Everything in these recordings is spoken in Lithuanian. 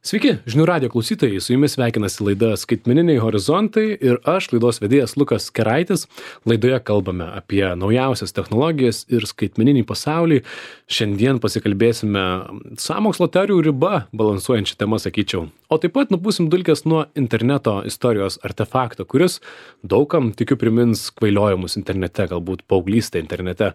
Sveiki, žinių radijo klausytojai, su jumis sveikinasi laida Skaitmeniniai horizontai ir aš, laidos vedėjas Lukas Keraitis. Laidoje kalbame apie naujausias technologijas ir skaitmeninį pasaulį. Šiandien pasikalbėsime sąmokslo teorijų riba balansuojančią temą, sakyčiau. O taip pat nupūsim dulkes nuo interneto istorijos artefakto, kuris daugam tikiu primins kvailiojimus internete, galbūt paauglystę internete.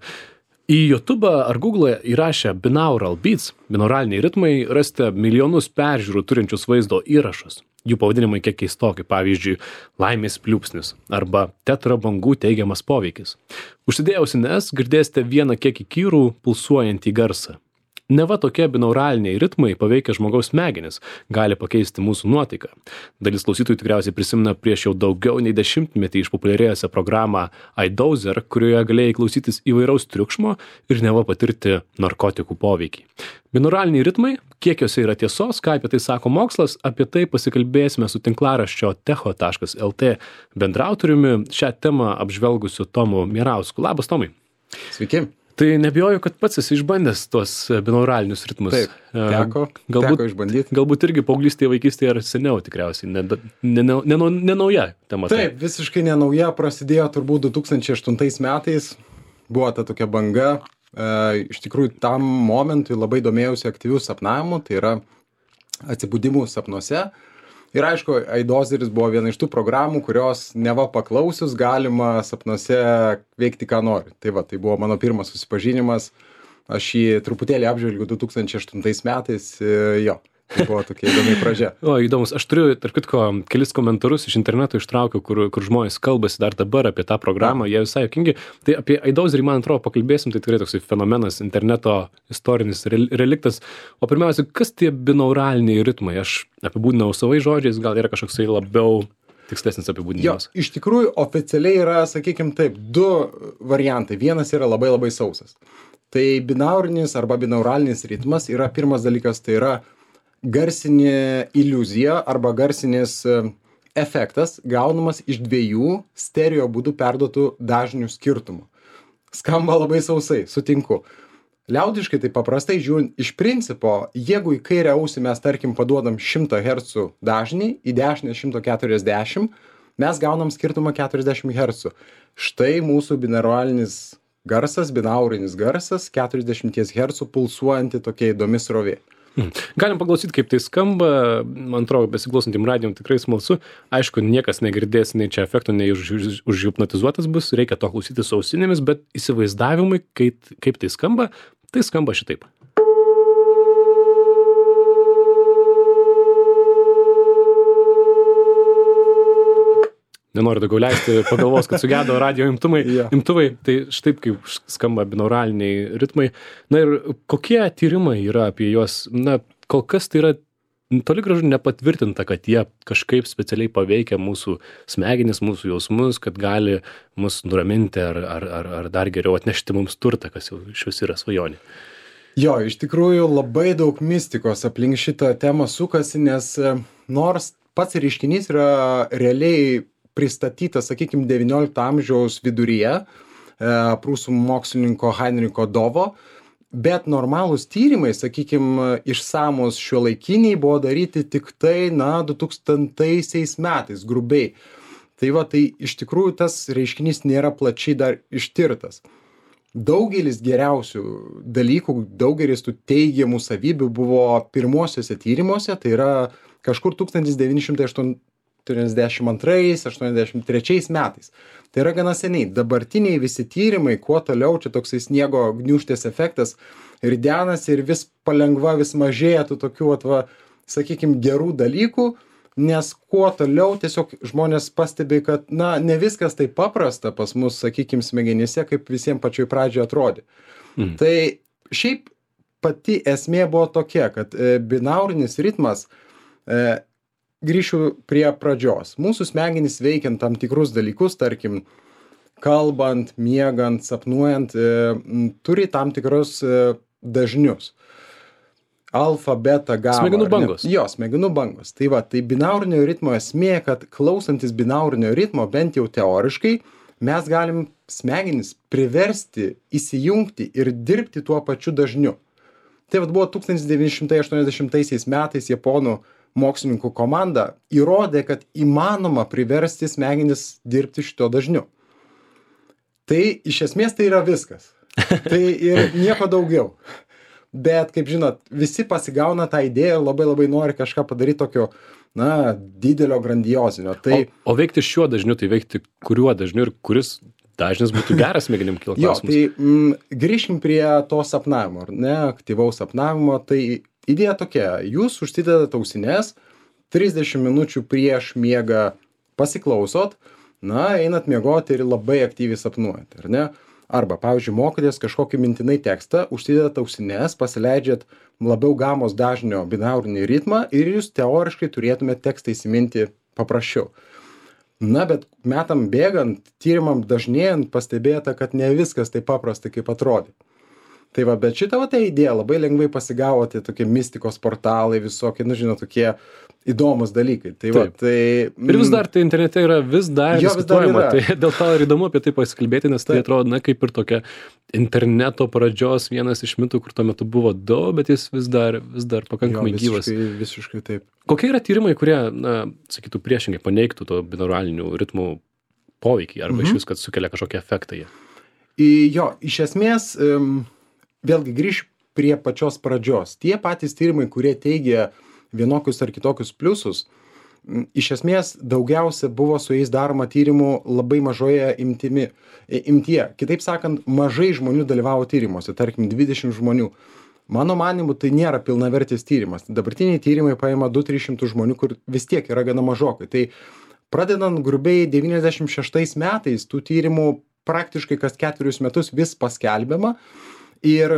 Į YouTube ar Google įrašę binaural beats, binauraliniai ritmai, rasite milijonus peržiūrų turinčius vaizdo įrašus. Jų pavadinimai kiek keistoki, pavyzdžiui, laimės pliūpsnis arba tetrabangų teigiamas poveikis. Užsidėję ausines girdėsite vieną kiek įkyrų pulsuojantį garsą. Neva tokie binauraliniai ritmai paveikia žmogaus smegenis, gali pakeisti mūsų nuotaiką. Dalis klausytojų tikriausiai prisimena prieš jau daugiau nei 10-metį išpopuliarėjusią programą iDozer, kurioje galėjai klausytis įvairaus triukšmo ir neva patirti narkotikų poveikį. Binauraliniai ritmai, kiek jose yra tiesos, ką apie tai sako mokslas, apie tai pasikalbėsime su tinklaraščio techo.lt bendraautoriumi, šią temą apžvelgusiu Tomu Mierausku. Labas, Tomai. Sveiki. Tai nebijoju, kad pats esi išbandęs tuos binauralinius ritmus. Taip, teko išbandyti. Galbūt irgi paauglystėje, vaikystėje ar seniau tikriausiai, ne nauja tema. Taip, visiškai ne nauja, prasidėjo turbūt 2008 metais, buvo ta tokia banga. Iš tikrųjų, tam momentui labai domėjausi aktyvių sapnavimų, tai yra atsibudimų sapnuose. Ir aišku, iDozeris buvo viena iš tų programų, kurios neva paklausius galima sapnuose veikti, ką nori. Tai va, tai buvo mano pirmas susipažinimas. Aš jį truputėlį apžvelgiu 2008 metais. Jo, tai buvo tokia įdomi pradžia. O, įdomus. Aš turiu, tarp kitko, kelis komentarus iš interneto ištraukiau, kur žmonės kalbasi dar dabar apie tą programą. Jie visai juokingi. Tai apie iDozerį, man atrodo, pakalbėsim. Tai tikrai toksai fenomenas, interneto istorinis reliktas. O pirmiausia, kas tie binauraliniai ritmai? Aš apibūdinau savai žodžiais, gal yra kažkoksai labiau tikslesnis apibūdinimas. Jo, iš tikrųjų, oficialiai yra, sakykim taip, du variantai. Vienas yra labai labai sausas. Tai binaurinis arba binauralinis ritmas yra pirmas dalykas, tai yra garsinė iliuzija arba garsinis efektas gaunamas iš dviejų stereo būdų perduotų dažnių skirtumų. Skamba labai sausai, sutinku. Liaudiškai tai paprastai žiūrint, iš principo, jeigu į kairę ausį mes, tarkim, paduodam 100 Hz dažnį, į dešinę 140, mes gaunam skirtumą 40 Hz. Štai mūsų binauralinis garsas, binaurinis garsas, 40 Hz pulsuojanti tokia įdomi srovė. Galim paklausyti, kaip tai skamba. Man atrodo, besiklausantiem radijom tikrai smalsu. Aišku, niekas negirdės nei čia efekto, nei užhipnotizuotas bus. Reikia to klausyti su ausinėmis, bet įsivaizdavimui, kaip tai skamba šitaip. Nenoriu daugiau leisti, pagalvos, kad sugedo radio imtuvai, tai štai kaip skamba binauraliniai ritmai. Na ir kokie tyrimai yra apie juos? Na, kol kas tai yra toli gražu nepatvirtinta, kad jie kažkaip specialiai paveikia mūsų smegenis, mūsų jausmus, kad gali mus nuraminti ar dar geriau atnešti mums turtą, kas jau iš vis yra svajonė. Jo, iš tikrųjų labai daug mistikos aplink šitą temą sukasi, nes nors pats reiškinys yra realiai pristatytas, sakykime, 19 amžiaus viduryje prūsų mokslininko Heinricho Dovo, bet normalūs tyrimai, sakykime, išsamus šiuolaikiniai buvo daryti tik tai, 2000 metais, grubiai. Tai va, tai iš tikrųjų tas reiškinys nėra plačiai dar ištirtas. Daugelis geriausių dalykų, daugelis tų teigiamų savybių buvo pirmuosiuose tyrimuose, tai yra kažkur 1982-83 metais. Tai yra gana seniai. Dabartiniai visi tyrimai, kuo toliau, čia toksai sniego gniūžtės efektas, ridenasi ir vis palengva, vis mažėja tų tokių, sakykime, gerų dalykų, nes kuo toliau tiesiog žmonės pastebi, kad, ne viskas taip paprasta pas mus, sakykime, smegenyse, kaip visiems pačioj pradžioje atrodė. Tai šiaip pati esmė buvo tokia, kad binaurinis ritmas, grįšiu prie pradžios. Mūsų smegenys veikiant tam tikrus dalykus, tarkim, kalbant, miegant, sapnuojant, turi tam tikrus dažnius. Alfa, beta, gamma. Smegenų bangos. Jo, smegenų bangos. Tai va, tai binaurinio ritmo esmė, kad klausantis binaurinio ritmo, bent jau teoriškai, mes galim smegenis priversti įsijungti ir dirbti tuo pačiu dažniu. Tai vat buvo 1980 metais japonų mokslininkų komanda įrodė, kad įmanoma priversti smegenis dirbti šito dažniu. Tai iš esmės tai yra viskas. Tai ir nieko daugiau. Bet, kaip žinot, visi pasigauna tą idėją ir labai nori kažką padaryti tokio, didelio, grandiozinio. Tai... O veikti šiuo dažniu, tai veikti kuriuo dažniu ir kuris dažnis būtų geras smegenim, kyla klausimas. Jo, tai grįžkim prie to sapnavimo, ar ne, aktyvaus sapnavimo. Tai idėja tokia, jūs užsidedat ausines, 30 minučių prieš miegą pasiklausot, einat miegoti ir labai aktyviai sapnuojat, ar ne? Arba, pavyzdžiui, mokotės kažkokį mintinai tekstą, užsidedat ausines, pasileidžiat labiau gamos dažnio binaurinį ritmą ir jūs teoriškai turėtumėte tekstą įsiminti paprasčiau. Bet metam bėgant, tyrimam dažnėjant, pastebėta, kad ne viskas taip paprasta, kaip atrodė. Tai va, bet šitą ta idėja labai lengvai pasigavo, tai tokie mistikos portalai, visokie, tokie įdomus dalykai. Tai va, tai... Ir vis dar tai internete yra vis dar diskutuojama, tai dėl to ir įdomu apie tai pasikalbėti, nes tai atrodo, kaip ir tokia interneto pradžios vienas iš mitų, kur tuo metu buvo daug, bet jis vis dar pakankamai gyvas. Visiškai taip. Kokie yra tyrimai, kurie, sakytų, priešingai paneigtų to binauralinių ritmų poveikį, arba iš vis, kad sukelia kažkokią efektą jie? Jo, iš esmės... Vėlgi grįžt prie pačios pradžios. Tie patys tyrimai, kurie teigia vienokius ar kitokius pliusus, iš esmės daugiausia buvo su jais daroma tyrimų labai mažoje imtyje. Kitaip sakant, mažai žmonių dalyvavo tyrimuose, tarkim 20 žmonių. Mano manimu, tai nėra pilnavertis tyrimas. Dabartiniai tyrimai paima 200-300 žmonių, kur vis tiek yra gana mažokai. Tai pradedant grubiai 96 metais, tų tyrimų praktiškai kas 4 metus vis paskelbiama. Ir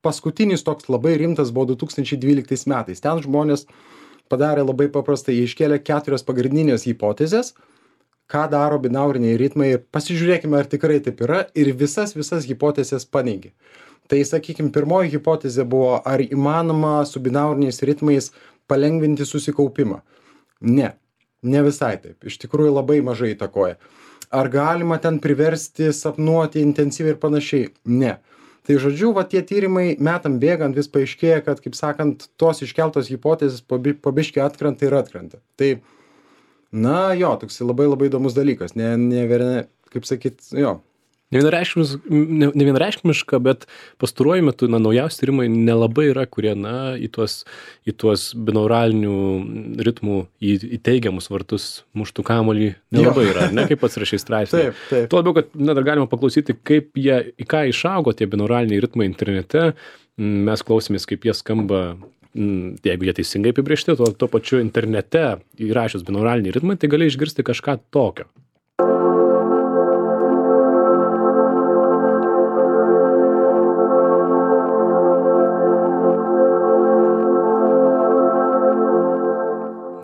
paskutinis toks labai rimtas buvo 2012 metais. Ten žmonės padarė labai paprastai, jie iškėlė 4 pagrindinės hipotezės, ką daro binauriniai ritmai. Pasižiūrėkime, ar tikrai taip yra, ir visas hipotezės paneigė. Tai, sakykime, pirmoji hipotezė buvo, ar įmanoma su binauriniais ritmais palengvinti susikaupimą. Ne visai taip. Iš tikrųjų labai mažai įtakoja. Ar galima ten priversti sapnuoti intensyviai ir panašiai? Ne. Tai žodžiu, tie tyrimai metam bėgant vis paaiškėja, kad, kaip sakant, tos iškeltos hipotezės pabiškai atkrenta ir atkrenta. Tai, toks labai įdomus dalykas. Kaip sakyt, jo. Nevienareikšmiška, bet pastaruoju metu, naujausi tyrimai nelabai yra, kurie, į tuos binauralinių ritmų į teigiamus vartus muštų kamuolį nelabai yra, ne, kaip pats rašai straipsnį. Taip. Tuo labiau, kad dar galima paklausyti, į ką išaugo tie binauraliniai ritmai internete. Mes klausėmės, kaip jie skamba, jeigu jie teisingai apibrėžti, tuo pačiu internete įrašius binauraliniai ritmai, tai gali išgirsti kažką tokio.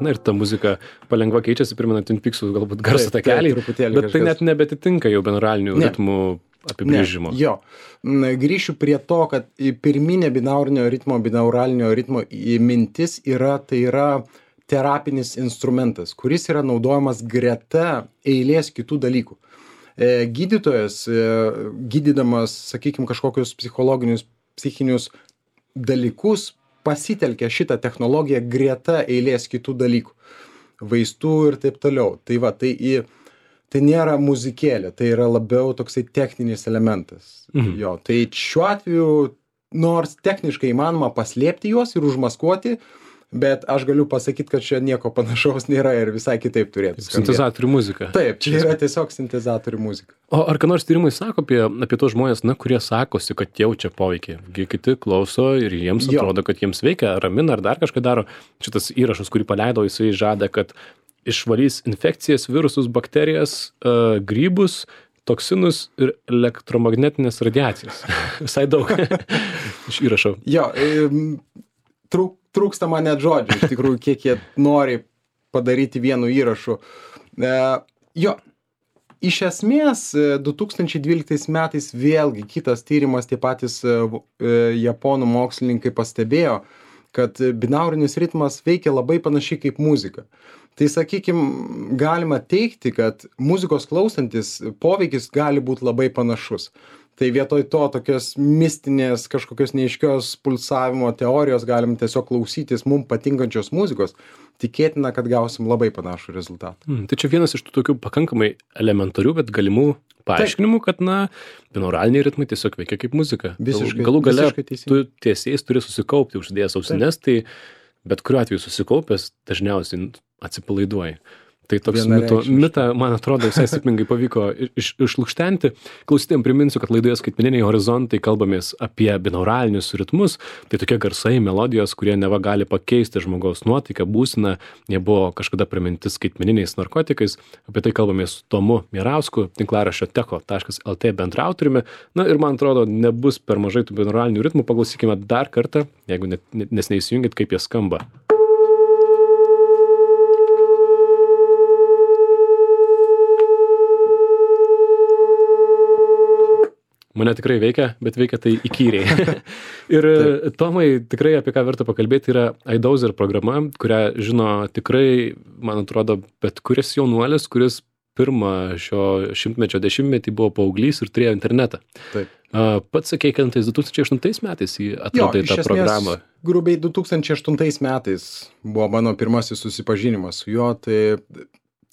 Ir ta muzika palengva keičiasi, primena Twin Peaks'ų galbūt garso takelį, bet tai net nebetitinka jau binauralinių ritmų apibrėžimo. Jo. Grįšiu prie to, kad pirminė binauralinio ritmo mintis yra terapinis instrumentas, kuris yra naudojamas greta eilės kitų dalykų. Gydytojas, gydydamas, sakykime, kažkokius psichologinius, psichinius dalykus, pasitelkia šitą technologiją greta eilės kitų dalykų, vaistų ir taip toliau. Tai nėra muzikėlė, tai yra labiau toksai techninis elementas. Jo, tai šiuo atveju, nors techniškai įmanoma paslėpti juos ir užmaskuoti, bet aš galiu pasakyti, kad čia nieko panašaus nėra ir visai kitaip turėtų skambėti. Sintezatorių muzika. Taip, čia yra tiesiog sintezatorių muzika. O ar ką nors tyrimai sako apie tos žmonės, kurie sakosi, kad jaučia poveikį? Kiti klauso ir jiems atrodo, kad jiems veikia, ramina ar dar kažką daro. Šitas įrašas, kurį paleido, jisai žada, kad išvalys infekcijas, virusus, bakterijas, grybus, toksinus ir elektromagnetinės radiacijas. Visai daug iš įrašo. Jo, trūksta man net žodžių, iš tikrųjų, kiek jie nori padaryti vienu įrašu. Jo, iš esmės, 2012 metais vėlgi kitas tyrimas, tie patys japonų mokslininkai pastebėjo, kad binaurinis ritmas veikia labai panašiai kaip muzika. Tai, sakykime, galima teigti, kad muzikos klausantis poveikis gali būti labai panašus. Tai vietoj to tokios mistinės kažkokios neaiškios pulsavimo teorijos galim tiesiog klausytis mum patinkančios muzikos, tikėtina, kad gausim labai panašų rezultatą. Tai čia vienas iš tų tokių pakankamai elementarių, bet galimų paaiškinimų, kad, binauraliniai ritmai tiesiog veikia kaip muzika. Visiškai, Galų gale tu teisingai. tiesiais turi susikaupti, užsidėjęs ausines, tai bet kuriuo atveju susikaupęs dažniausiai atsipalaiduoji. Tai toks mitą, man atrodo, visai sėkmingai pavyko išlukštenti. Klausytėjim priminsiu, kad laidoje Skaitmeniniai horizontai kalbamės apie binauralinius ritmus. Tai tokie garsai, melodijos, kurie neva gali pakeisti žmogaus nuotaiką, būseną. Jie buvo kažkada priminti skaitmeniniais narkotikais. Apie tai kalbamės su Tomu Mirausku, tinklaraščio techo.lt bendraautoriumi. Ir man atrodo, nebus per mažai tų binauralinių ritmų. Paklausykime dar kartą, jeigu nes neįsijungit, kaip jie skamba. Mane tikrai veikia, bet veikia tai įkyriai. Ir Tomai, tikrai apie ką verta pakalbėti yra iDozer programa, kurią žino tikrai, man atrodo, bet kuris jaunuolis, kuris pirmą šio šimtmečio dešimtmetį buvo paauglys ir turėjo internetą. Taip. Pats sakei, kad 2008 metais atradai tą programą. Grubiai 2008 metais buvo mano pirmasis susipažinimas su juo, tai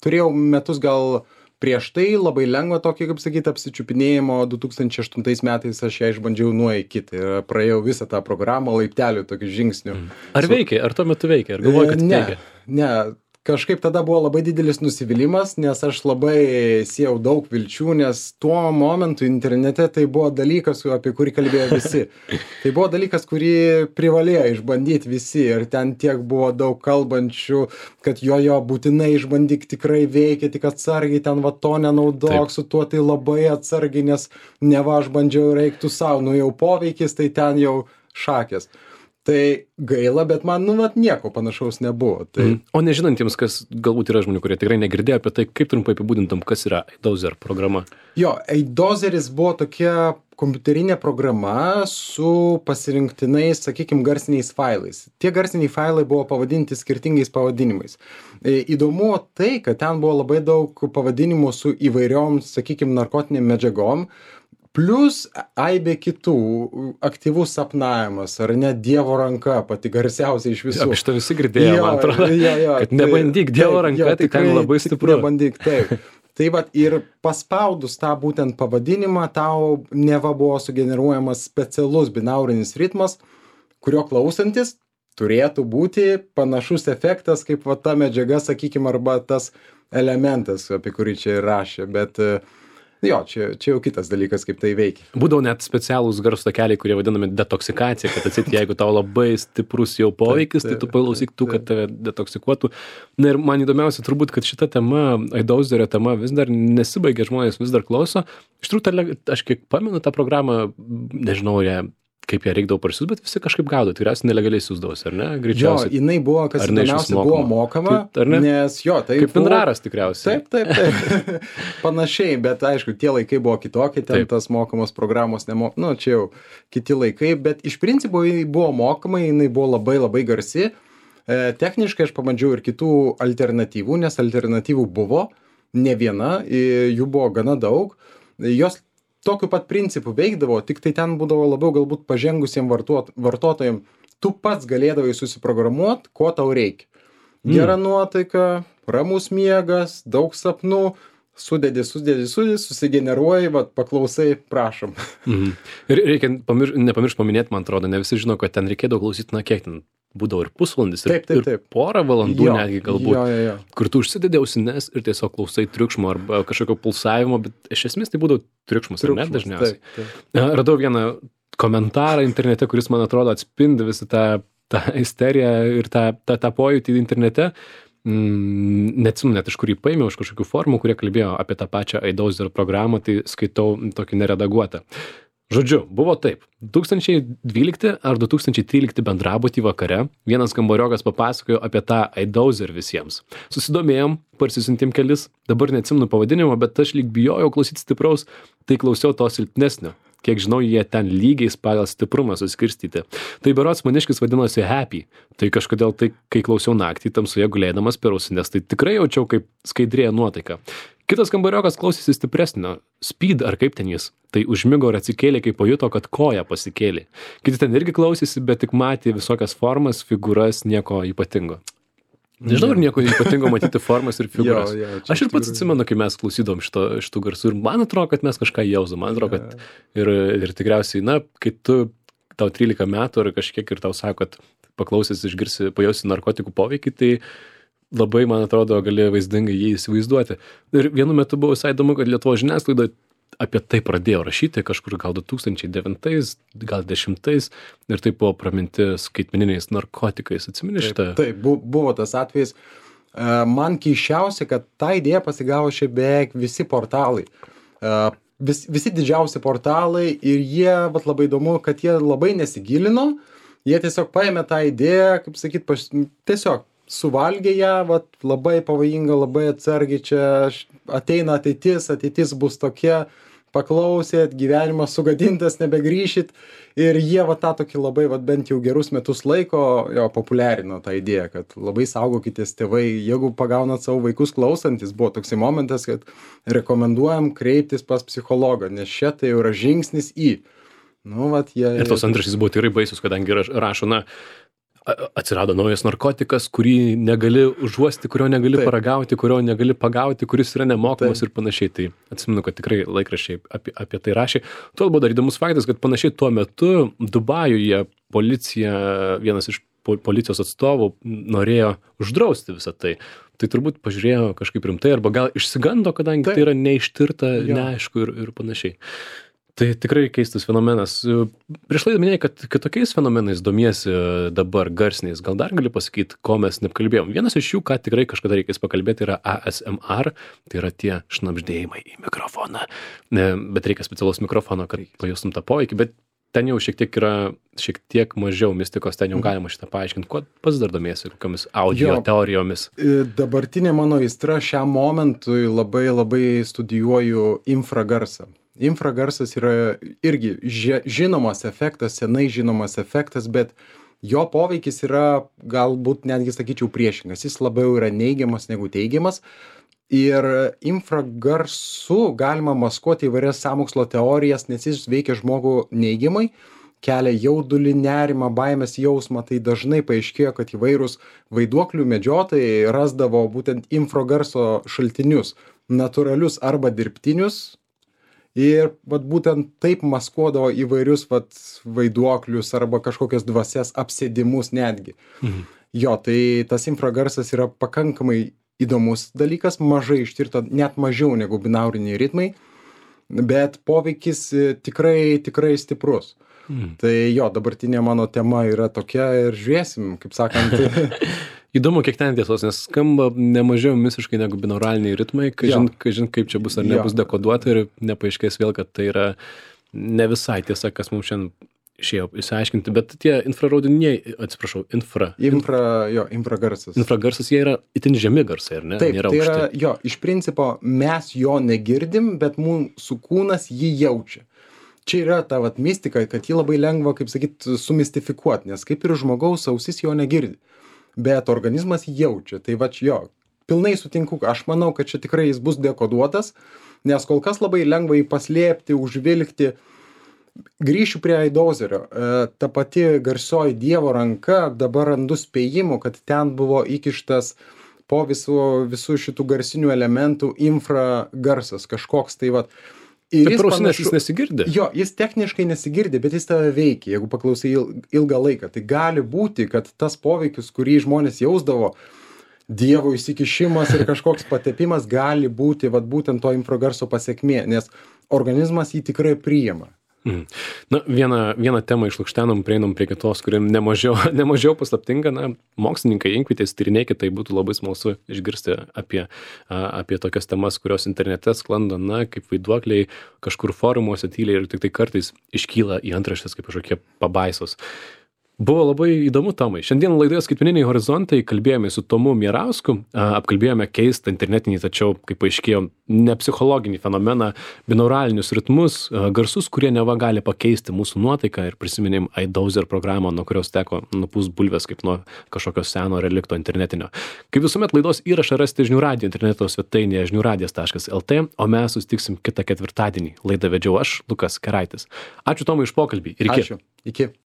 turėjau metus gal prieš tai labai lengva tokį, kaip sakyti, apsičiupinėjimo. 2008 metais aš ją išbandžiau nuo iki. Tai praėjau visą tą programą laiptelių tokių žingsnių. Ar veikia? Ar tuo metu veikia? Ar galvoji, kad veikia? Ne. Kažkaip tada buvo labai didelis nusivylimas, nes aš labai siejau daug vilčių, nes tuo momentu internete tai buvo dalykas, apie kurį kalbėjo visi. Tai buvo dalykas, kurį privalėjo išbandyti visi ir ten tiek buvo daug kalbančių, kad jo būtinai išbandyk, tikrai veikia, tik atsargiai ten to nenaudok, su tuo tai labai atsargiai, nes neva aš bandžiau reiktų savo, jau poveikis, tai ten jau šakės. Tai gaila, bet man, nieko panašaus nebuvo. Tai... O nežinantiems, kas galbūt yra žmonių, kurie tikrai negirdėjo apie tai, kaip trumpai apibūdintum, kas yra iDozer programa? Jo, iDozeris buvo tokia kompiuterinė programa su pasirinktinais, sakykime, garsiniais failais. Tie garsiniai failai buvo pavadinti skirtingais pavadinimais. Įdomu tai, kad ten buvo labai daug pavadinimų su įvairiom, sakykime, narkotiniam medžiagom, plus aibė kitų, aktyvus sapnavimas, ar net Dievo ranka, pati garsiausia iš visų. Aš to visi girdėjau, man atrodo, kad nebandyk Dievo ranka, tai ten labai stipru. Nebandyk, taip. Tai ir paspaudus tą būtent pavadinimą, tau neva buvo sugeneruojamas specialus binaurinis ritmas, kurio klausantis turėtų būti panašus efektas, kaip ta medžiaga, sakykime, arba tas elementas, apie kurį čia ir rašė, bet... Jo, čia jau kitas dalykas, kaip tai veikia. Būdavo net specialūs garso takeliai, kurie vadinami detoksikacija, kad jeigu tau labai stiprus jau poveikis, tai tu paklausyk tų, kad tave detoksikuotų. Ir man įdomiausia turbūt, kad šita tema, iDozerio tema vis dar nesibaigia, žmonės vis dar klauso. Iš tikrųjų, aš kiek pamenu tą programą, nežinau, kaip ją reikdavo parsiųst, bet visi kažkaip gaudo, tikriausiai nelegaliai siūsdavosi, ar ne? Greičiausiai. Jo, jinai buvo, kas įdomiausia, buvo mokama, nes tai kaip Pinraras tikriausiai. Taip. Panašiai, bet aišku, tie laikai buvo kitokie, ten tas mokamos programos čia jau kiti laikai, bet iš principo jinai buvo mokama, jinai buvo labai labai garsi. Techniškai aš pabandžiau ir kitų alternatyvų, nes alternatyvų buvo ne viena, jų buvo gana daug. Jos tokiu pat principu veikdavo, tik tai ten būdavo labiau galbūt pažengusiem vartotojam. Tu pats galėdavai susiprogramuoti, ko tau reikia. Gera nuotaika, ramus miegas, daug sapnų, sudedi, susigeneruoji, paklausai, prašom. Ir reikia nepamiršti paminėti, man atrodo, ne visi žino, kad ten reikėdavo klausyti, kiek ten būdavo ir pusvalandis, ir porą valandų netgi galbūt, kur tu užsidedi ausines ir tiesiog klausai triukšmo arba kažkokio pulsavimo, bet iš esmės tai būdavo triukšmas, ar ne dažniausiai. Radau vieną komentarą internete, kuris, man atrodo, atspindi visą tą isteriją ir tą pojūtį internete. Neatsimenu net iš kur jį paėmiau, iš kažkokių formų, kurie kalbėjo apie tą pačią iDozer programą, tai skaitau tokį neredaguotą. Žodžiu, buvo taip. 2012 ar 2013 bendrabutį vakare vienas kambariokas papasakojo apie tą iDozer visiems. Susidomėjom, parsisiuntėm kelis, dabar neatsimenu pavadinimo, bet aš lyg bijojau klausyti stipraus, tai klausiau to silpnesnio. Kiek žinau, jie ten lygiais pagal stiprumą suskirstyti. Tai berods maniškis vadinosi Happy. Tai kažkodėl kai klausiau naktį tamsoje gulėdamas per ausines, tai tikrai jaučiau, kaip skaidrėja nuotaika. Kitas kambariokas klausėsi stipresnio, Speed ar kaip ten jis, tai užmigo ir atsikėlė, kai pajuto, kad koja pasikėlė. Kiti ten irgi klausėsi, bet tik matė visokias formas, figūras, nieko ypatingo. Nežinau, ar nieko ypatingo matyti formas ir figūras. Aš ir pats atsimenu, kai mes klausydom šitų garsų ir man atrodo, kad mes kažką jausdom. Man atrodo, kad ir tikriausiai, kai tau 13 metų ar kažkiek ir tau sako, kad paklausęs išgirsi, pajausi narkotikų poveikį, tai labai, man atrodo, gali vaizdingai jį įsivaizduoti. Ir vienu metu buvo visai įdomu, kad Lietuvos žiniasklaida apie tai pradėjo rašyti kažkur gal 2009, gal 10 ir tai buvo praminti skaitmeniniais narkotikais. Atsimeni šitą? Taip, buvo tas atvejis. Man keisčiausia, kad tą idėją pasigavo šiaip beveik visi portalai. Visi didžiausi portalai ir jie, labai įdomu, kad jie labai nesigilino, jie tiesiog paėmė tą idėją, kaip sakyt, tiesiog suvalgė ją, labai pavojinga, labai atsargiai, čia ateina ateitis bus tokia, paklausėt, gyvenimas sugadintas, nebegrįšit ir jie tą tokį labai, bent jau gerus metus laiko populiarino tą idėją, kad labai saugokitės tėvai, jeigu pagaunat savo vaikus klausantis, buvo toksai momentas, kad rekomenduojam kreiptis pas psichologą, nes čia tai yra žingsnis į. Ir tos antraštės buvo tikrai baisus, kadangi rašo, atsirado naujas narkotikas, kurį negali užuosti, kurio negali paragauti, kurio negali pagauti, kuris yra nemokamas ir panašiai. Tai atsimenu, kad tikrai laikraščiai apie tai rašė. Tuo buvo dar įdomus faktas, kad panašiai tuo metu Dubajuje vienas iš policijos atstovų norėjo uždrausti visą tai. Tai turbūt pažiūrėjo kažkaip rimtai arba gal išsigando, kadangi tai yra neištirta, neaišku ir panašiai. Tai tikrai keistas fenomenas. Prieš laidą minėjai, kad tokiais fenomenais domiesi dabar garsiniais. Gal dar gali pasakyti, ko mes neapkalbėjom? Vienas iš jų, ką tikrai kažkada reikės pakalbėti, yra ASMR. Tai yra tie šnabždėjimai į mikrofoną. Bet reikia specialaus mikrofono, kad pajustum tą poveikį. Bet ten jau šiek tiek mažiau mistikos, ten jau galima šitą paaiškinti. Kuo pats dar domiesi, kokiamis audio teorijomis? Dabartinė mano aistra šiam momentui labai studijuoju infragarsą. Infragarsas yra irgi žinomas efektas, senai žinomas efektas, bet jo poveikis yra galbūt netgi sakyčiau priešingas. Jis labiau yra neigiamas negu teigiamas. Ir infragarsu galima maskuoti įvairias sąmokslo teorijas, nes jis veikia žmogų neigiamai, kelia jaudulį, nerimą, baimės jausmą. Tai dažnai paaiškėjo, kad įvairūs vaiduoklių medžiotojai rasdavo būtent infragarso šaltinius, natūralius arba dirbtinius. Ir būtent taip maskuodavo įvairius vaiduoklius arba kažkokias dvasias apsėdimus netgi. Jo, tai tas infragarsas yra pakankamai įdomus dalykas, mažai ištirta, net mažiau negu binauriniai ritmai, bet poveikis tikrai stiprus. Tai jo, dabartinė mano tema yra tokia ir žiūrėsim, kaip sakant. Įdomu, kiek ten tiesos, nes skamba nemažiau visiškai negu binauraliniai ritmai, kažin kaip čia bus ar nebus dekoduota ir nepaaiškės vėl, kad tai yra ne visai tiesa, kas mums šiandien išėjo išsiaiškinti, bet tie infraraudiniai, infragarsas. Infragarsas, jie yra itin žemi garsai, ar ne? Taip, tai yra, iš principo mes jo negirdim, bet mūsų kūnas jį jaučia. Čia yra ta mistika, kad jį labai lengva, kaip sakyt, sumistifikuoti, nes kaip ir žmogaus ausis jo negirdi. Bet organizmas jaučia. Tai pilnai sutinku. Aš manau, kad čia tikrai jis bus dekoduotas, nes kol kas labai lengva jį paslėpti, užvilkti. Grįšiu prie Eidozerio. Ta pati garsioji Dievo ranka, dabar randu spėjimų, kad ten buvo įkištas po visų šitų garsinių elementų infragarsas kažkoks. Tai Bet prosinės jis nesigirdi. Jo, jis techniškai nesigirdi, bet jis tave veikia, jeigu paklausai ilgą laiką. Tai gali būti, kad tas poveikis, kurį žmonės jausdavo, Dievo įsikišimas ir kažkoks patepimas, gali būti būtent to infragarso pasekmė, nes organizmas jį tikrai priima. Vieną temą išlukštenom, prieinam prie kitos, kuri nemažiau paslaptinga. Mokslininkai, inkvietės, tyrinėkit, tai būtų labai smalsu išgirsti apie tokias temas, kurios internete sklando, kaip vaiduokliai, kažkur forumuose tyliai ir tik tai kartais iškyla į antraštės kaip kažkokie pabaisos. Buvo labai įdomu, Tomai. Šiandien laidoje Skaitmeniniai horizontai kalbėjome su Tomu Mierausku, apkalbėjome keistą internetinį, tačiau, kaip paaiškėjo, ne psichologinį fenomeną, binauralinius ritmus, garsus, kurie neva gali pakeisti mūsų nuotaiką ir prisiminėm iDozer programą, nuo kurios teko nupūst bulves kaip nuo kažkokio seno relikto internetinio. Kaip visuomet laidos įrašą rasite Žinių radijo interneto svetainėje žiniųradijas.lt, o mes susitiksim kitą ketvirtadienį. Laidą vedžiau aš, Lukas Keraitis. Ačiū Tomai už pokalbį ir iki. Ačiū. Iki.